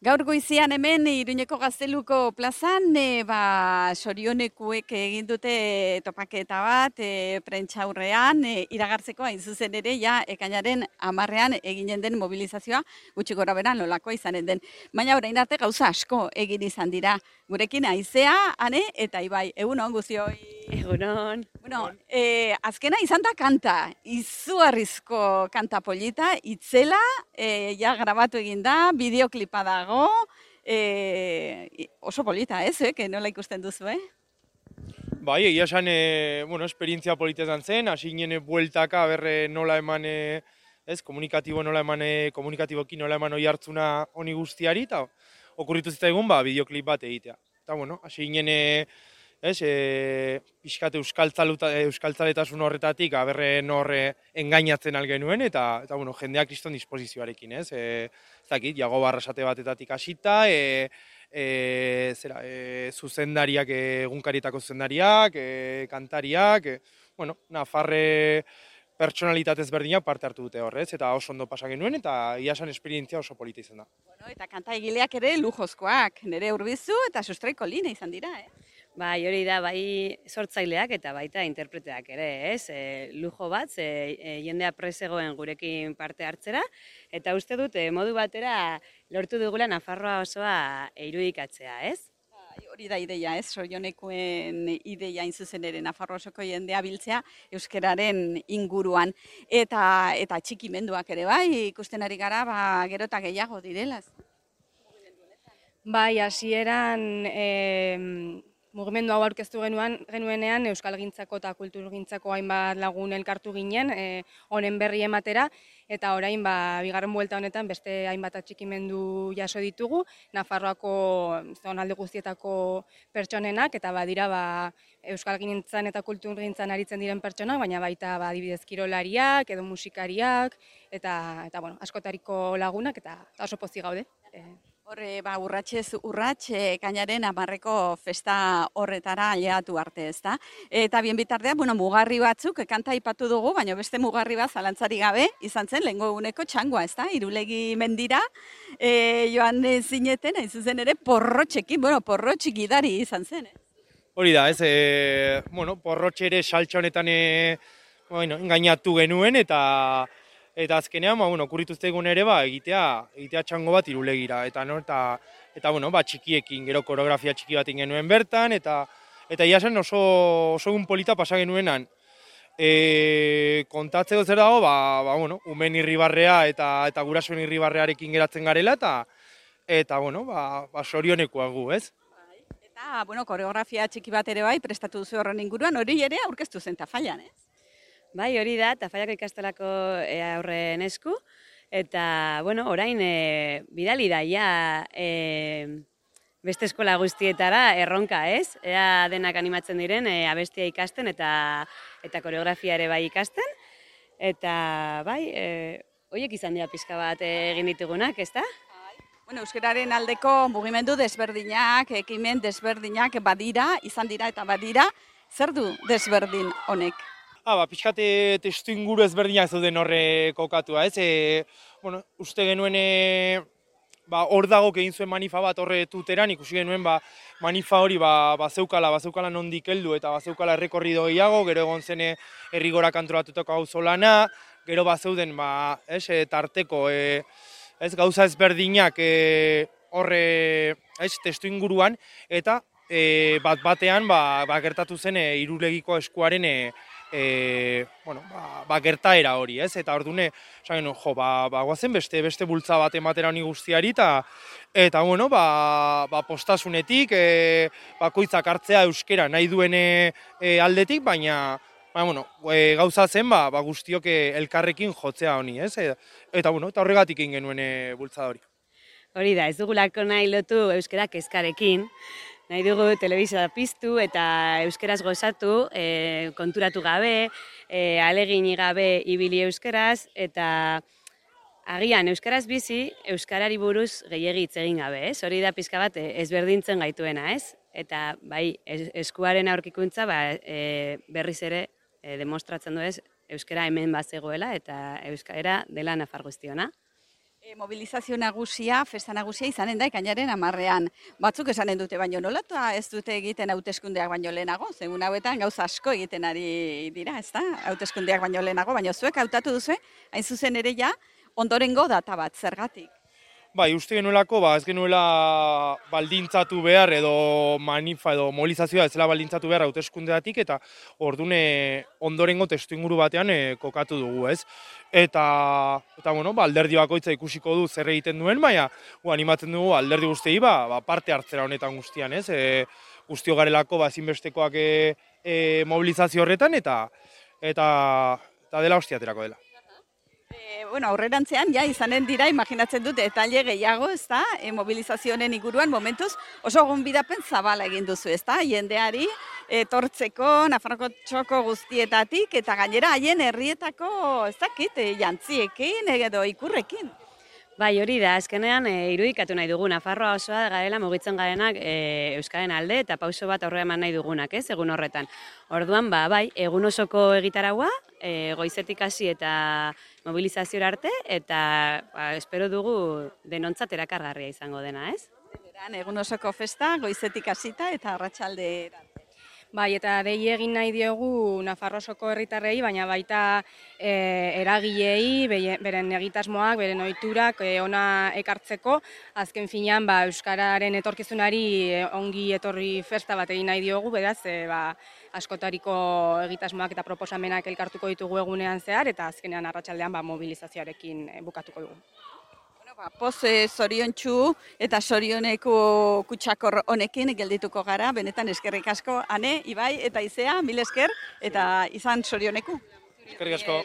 Gaur goizian hemen Iruñeko Gazteluko plazan, sorionekuek egin dute topaketa bat, prentsaurrean, iragartzeko hain zuzen ere, ja, ekainaren 10ean eginen den mobilizazioa, gutxi gora beran nolakoa izanen den. Baina orain arte gauza asko egin izan dira. Gurekin Aizea, Ane eta Ibai, egunon guzioi. Egunon. Bueno, azkena izan da kanta, izugarrizko kanta polita, itzela, ja grabatu egin da, bideoklipa dago, oso polita, ez, nola ikusten duzu, Bai, egia esan, esperientzia polita izan zen, hasi ginen bueltaka, berre nola eman, komunikatiboki nola eman oi hartzuna honi guztiari, eta okurritu zitzaigun, bideoklip bat egitea. Eta, hasi ginen, pixkat euskaltzaletasun horretatik, berre norre engainatzen algenuen, eta jendeak kriston disposizioarekin, ez? Zakit, jago barrasate batetatik hasita, zuzendariak, egunkarietako zuzendariak, kantariak, nafarre pertsonalitatez berdinak parte hartu dute horrez, eta oso ondo pasa genuen, eta iasan esperientzia oso polita izan da. Bueno, eta kanta egileak ere lujozkoak, nire Urbizu eta Sustraiko Lina izan dira, Bai, hori da, bai sortzaileak eta baita interpreteak ere, ez? Lujo bat, jendea presegoen gurekin parte hartzera, eta uste dut, modu batera lortu dugula Nafarroa osoa irudikatzea, ez? Hori da ideia, ez? Sorionekuen ideia hain zuzen ere Nafarroa osoko jendea biltzea euskararen inguruan. Eta txikimenduak ere bai, ikusten ari gara, gero eta gehiago direla. Bai, hasieran mugimendu hau aurkeztu genuenean Euskalgintzako eta Kulturgintzako hainbat lagun elkartu ginen, honen berri ematera, eta orain bigarren buelta honetan beste hainbat atxikimendu jaso ditugu, Nafarroako zonalde guztietako pertsonenak, eta badira Euskalgintzan eta Kulturgintzan aritzen diren pertsonak, baina baita adibidez kirolariak edo musikariak, eta askotariko lagunak, eta oso pozik gaude. Horre, urratxez urratx, ekainaren 10eko festa horretara aileatu arte, ezta? Eta bien bitartean, mugarri batzuk, kanta aipatu dugu, baina beste mugarri bat zalantzari gabe, izan zen, lehengo eguneko txangoa, ezta? Irulegi mendira, joan zineten, hain zuzen ere, porrotxekin, porrotxik gidari izan zen, Hori da, ez, porrotxe ere saltxa honetan engainatu genuen, eta azkenean, okurritu zaigun ere, egitea txango bat Irulegira, eta txikiekin, gero koreografia txiki bat genuen bertan, eta iasen oso egun polita pasa genuenan. Kontatzeko zer dago, umen irribarrea eta gurasoen irribarrearekin geratzen garela, eta sorionekoa gu, ez? Eta, koreografia txiki bat ere bai, prestatu duzu horren inguruan, hori ere aurkeztu zen Tafallan, ez? Bai, hori da, Tafallako ikastelako aurren esku, eta, orain bidali da, beste eskola guztietara erronka, ez? Ea denak animatzen diren, abestia ikasten eta koreografia ere bai ikasten, eta, horiek izan dira pixka bat egin ditugunak, ez da? Euskararen aldeko mugimendu desberdinak, ekimen desberdinak badira, izan dira eta badira, zer du desberdin honek? Pixkate testu inguru ezberdinak zeuden horre kokatua, ez? Uste genuen hor dago egin zuen manifa bat horre tuteran, ikusi genuen manifa hori bazeukala nondik heldu eta bazeukala errekorrido gehiago, gero egon zen herrigora kantoratutako auzolana, gero bazeuden tarteko gauza ezberdinak horre testu inguruan, eta batean gertatu zen Irulegiko eskuaren gertaera hori, ez? Eta ordune, guazen beste bultza bat ematera honi guztiari, eta postasunetik, bakoitzak hartzea euskera nahi duen aldetik, baina, gauza zen, guztiok elkarrekin jotzea honi, ez? Eta horregatik egin genuen bultza hori. Hori da, ez dugulako nahi lotu euskera kezkarekin, nahi dugu telebizioa piztu eta euskeraz gozatu, konturatu gabe, alegini gabe ibili euskeraz, eta agian euskaraz bizi, euskarari buruz gehiegi hitz egin gabe, ez? Hori da pizka bat ezberdintzen gaituena, ez? Eta bai, eskuaren aurkikuntza berriz ere demostratzen du ez, euskara hemen bazegoela eta euskara dela Nafar guztiona. Mobilizazio nagusia, festa nagusia izanen da ekainaren 10ean. Batzuk esanen dute baino nola eta ez dute egiten hauteskundeak baino lehenago. Egun hauetan gauza asko egiten ari dira, ezta? Hauteskundeak baino lehenago, baina zuek hautatu duzu, hain zuzen ere ja ondorengo data bat, zergatik. Bai, uste genuelako, ez genuela baldintzatu behar edo manifa edo mobilizazioa ez zela baldintzatu behar hauteskundeatik eta ordune ondorengo testuinguru batean kokatu dugu, ez? Eta bueno, alderdi bakoitza ikusiko du zer egiten duen, baina animatzen dugu alderdi guztiei parte hartzera honetan guztian, ez? Guztio garelako ezinbestekoak mobilizazio horretan eta dela hostiaterako dela. Bueno, aurrerantzean, ja, izanen dira, imaginatzen dut, detalle gehiago, ez da, mobilizazioen inguruan, momentuz, oso gonbidapen zabala egin duzu, ez da, jendeari, etortzeko, Nafarroko txoko guztietatik, eta gainera haien herrietako, ez dakit, jantziekin, edo ikurrekin. Bai, hori da, azkenean irudikatu nahi dugu, Nafarroa osoa garela mugitzen garenak Euskaren alde eta pauso bat aurre eman nahi dugunak, ez, egun horretan. Orduan, bai, egun osoko egitaraua, goizetik hasi eta mobilizaziora arte, eta espero dugu denontzat erakargarria izango dena, ez? Egun osoko festa, goizetik hasita eta arratsaldera. Bai, eta dei egin nahi diogu Nafarrosoko herritarrei, baina baita eragilei, beren egitasmoak, beren ohiturak ona ekartzeko, azken finean euskararen etorkizunari ongi etorri festa bat egin nahi diogu, beraz, askotariko egitasmoak eta proposamenak elkartuko ditugu egunean zehar, eta azkenean arratsaldean mobilizazioarekin bukatuko dugu. Poz zoriontsu eta zorioneko kutsakor honekin geldituko gara, benetan eskerrik asko, Ane, Ibai eta Izea, mil esker, eta izan zorioneku. Eskerrik asko.